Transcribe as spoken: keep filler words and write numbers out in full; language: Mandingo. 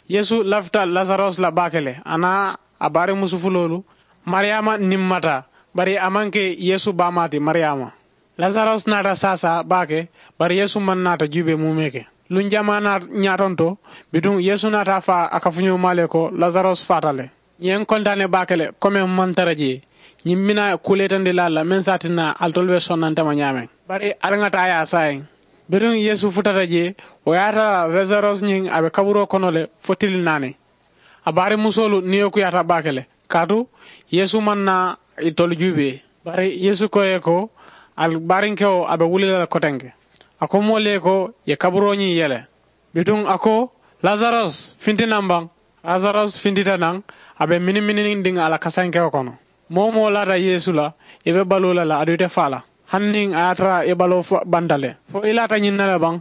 Yeesu lafita lasaros la baake le a naa a baari musufuloolu, mariyaama niŋ mata. Bari a maŋ ke yeesu baamaa ti mariyaama. Lasaros naata saasaa baake. Bari yeesu maŋ naata juubee muumee ke. Luŋ jamaa naa ñaatonto, bituŋ yeesu naata a faa a kafuñoo maa le ko lasaros faata le. Ñiŋ kontaane baake le. Komeŋ maŋ tara jee ñiŋ mina kuuleetandi laa la meŋ saatinna alitolu be sonnante ma ñaameŋ. Bari ali ŋa taa ye a saayiŋ. Bituŋ yeesu futata jee, wo ye a tara lasaros ñiŋ a be kaburoo kono le fo tili naani. A baari musoolu niyo kuyaata baake le. Kaatu yeesu maŋ naa itolu juubee. Bari yeesu ko ye ko, ali baarinkewo a be wuli la le kotenke. A ko moolu ye ko, ye kaburoo ñiŋ yele. Bituŋ a ko, lasaros finti naŋ baŋ. Lasaros fintita naŋ, a be minimininiŋ diŋ a la kasankewo kono. Moo wo moo laata yeesu la, i be baluu la le aduŋ ite faa la. Hani niŋ a ye a tara i baloo banta le, fo i laata ñiŋ na le baŋ.